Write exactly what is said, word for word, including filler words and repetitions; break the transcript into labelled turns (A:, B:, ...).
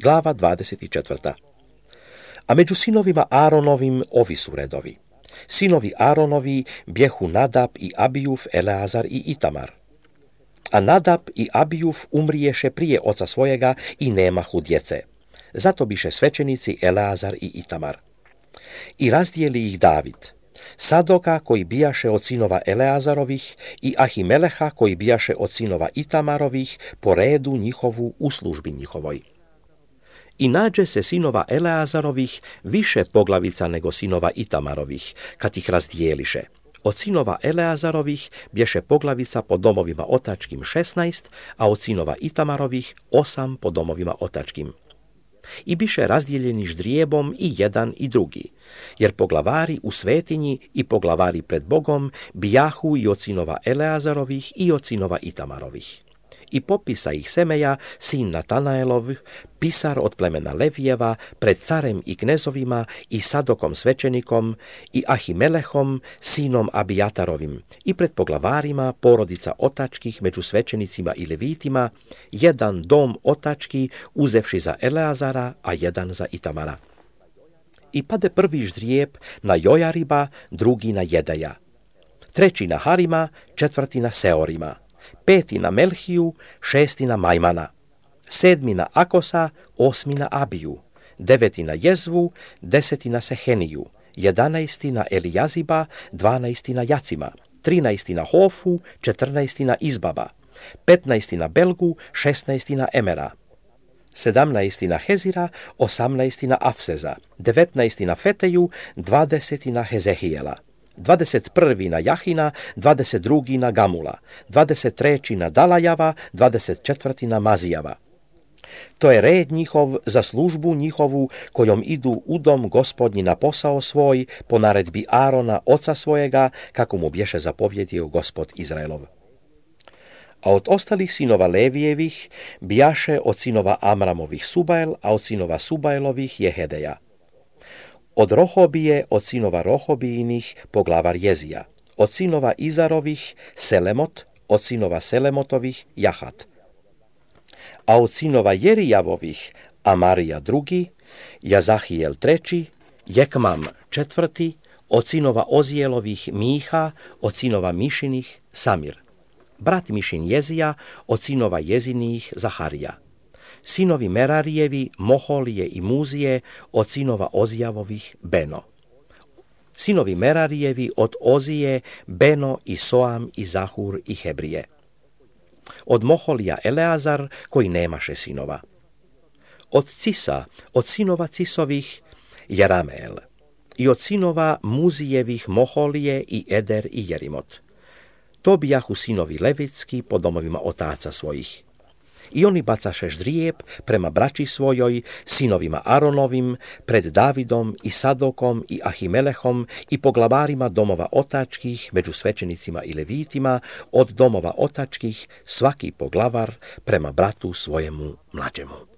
A: Glava dvadeset četvrta. A među sinovima Aaronovim ovi su redovi. Sinovi Aaronovi bjehu Nadab i Abijuf, Eleazar i Itamar. A Nadab i Abijuf umriješe prije oca svojega i nemahu djece. Zato biše svećenici Eleazar i Itamar. I razdijeli ih David, Sadoka koji bijaše od sinova Eleazarovih i Ahimeleha koji bijaše od sinova Itamarovih po redu njihovu u službi njihovoj. I nađe se sinova Eleazarovih više poglavica nego sinova Itamarovih, kad ih razdijeliše. Od sinova Eleazarovih bješe poglavica po domovima otačkim šesnaest, a od sinova Itamarovih osam po domovima otačkim. I biše razdijeljeni ždrijebom i jedan i drugi, jer poglavari u svetinji i poglavari pred Bogom bijahu i od sinova Eleazarovih i od sinova Itamarovih. I popisa ih Semeja, sin Natanaelov, pisar od plemena Levijeva, pred carem i knezovima i Sadokom svećenikom i Ahimelehom, sinom Abijatarovim, i pred poglavarima porodica otačkih među svećenicima i levitima, jedan dom otački uzevši za Eleazara, a jedan za Itamara. I pade prvi ždrijeb na Jojariba, drugi na Jedeja, treći na Harima, četvrti na Seorima, peti na Melhiju, šesti na Majmana, sedmi na Akosa, osmi na Abiju, deveti na Jezvu, deseti na Seheniju, jedanaesti na Elijaziba, dvanaesti na Jacima, trinaesti na Hofu, četrnaesti na Izbaba, petnaesti na Belgu, šesnaesti na Emera, sedamnaesti na Hezira, osamnaesti na Afseza, devetnaesti na Feteju, dvadeseti na Hezehijela, dvadeset prvi na Jahina, dvadeset drugi na Gamula, dvadeset treći na Dalajava, dvadeset četvrti na Mazijava. To je red njihov za službu njihovu kojom idu u dom Gospodnji na posao svoj po naredbi Arona oca svojega, kako mu bješe zapovjedio Gospod Izraelov. A od ostalih sinova Levijevih bijaše od sinova Amramovih Subael, a od sinova Subaelovih Jehedeja. Od Rohobije, od sinova Rohobijinih, poglavar Jezija. Od sinova Izarovih, Selemot, od sinova Selemotovih, Jahat. A od sinova Jerijavovih, Amarija drugi, Jazahijel treći, Jekmam četvrti, od sinova Ozijelovih, Miha, od sinova Mišinih, Samir. Brat Mišin Jezija, od sinova Jezinijih, Zaharija. Sinovi Merarijevi, Moholije i Muzije, od sinova Ozijavovih, Beno. Sinovi Merarijevi od Ozije, Beno i Soam i Zahur i Hebrije. Od Moholija Eleazar, koji nemaše sinova. Od Cisa, od sinova Cisovih, Jerameel. I od sinova Muzijevih, Moholije i Eder i Jerimot. To bijahu sinovi Levitski po domovima otaca svojih. I oni bacaše ždrijeb prema braći svojoj, sinovima Aronovim, pred Davidom i Sadokom i Ahimelehom i poglavarima domova otačkih, među svećenicima i levitima, od domova otačkih svaki poglavar prema bratu svojemu mlađemu.